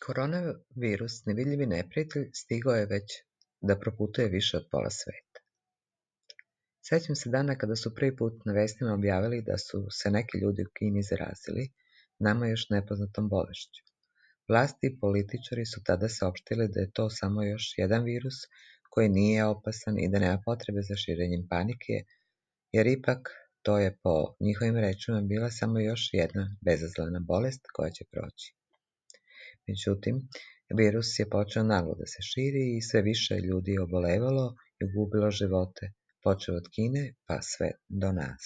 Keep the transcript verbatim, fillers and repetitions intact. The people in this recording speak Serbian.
Koronavirus, nevidljivi neprijatelj, stigao je već da proputuje više od pola sveta. Sećam se dana kada su prvi put na vestima objavili da su se neki ljudi u Kini zarazili nama još nepoznatom bolešću. Vlasti i političari su tada saopštili da je to samo još jedan virus koji nije opasan i da nema potrebe za širenjem panike, jer ipak to je po njihovim rečima bila samo još jedna bezazlena bolest koja će proći. Međutim, virus je počeo naglo da se širi i sve više ljudi je obolevalo i gubilo živote, počeo od Kine pa sve do nas.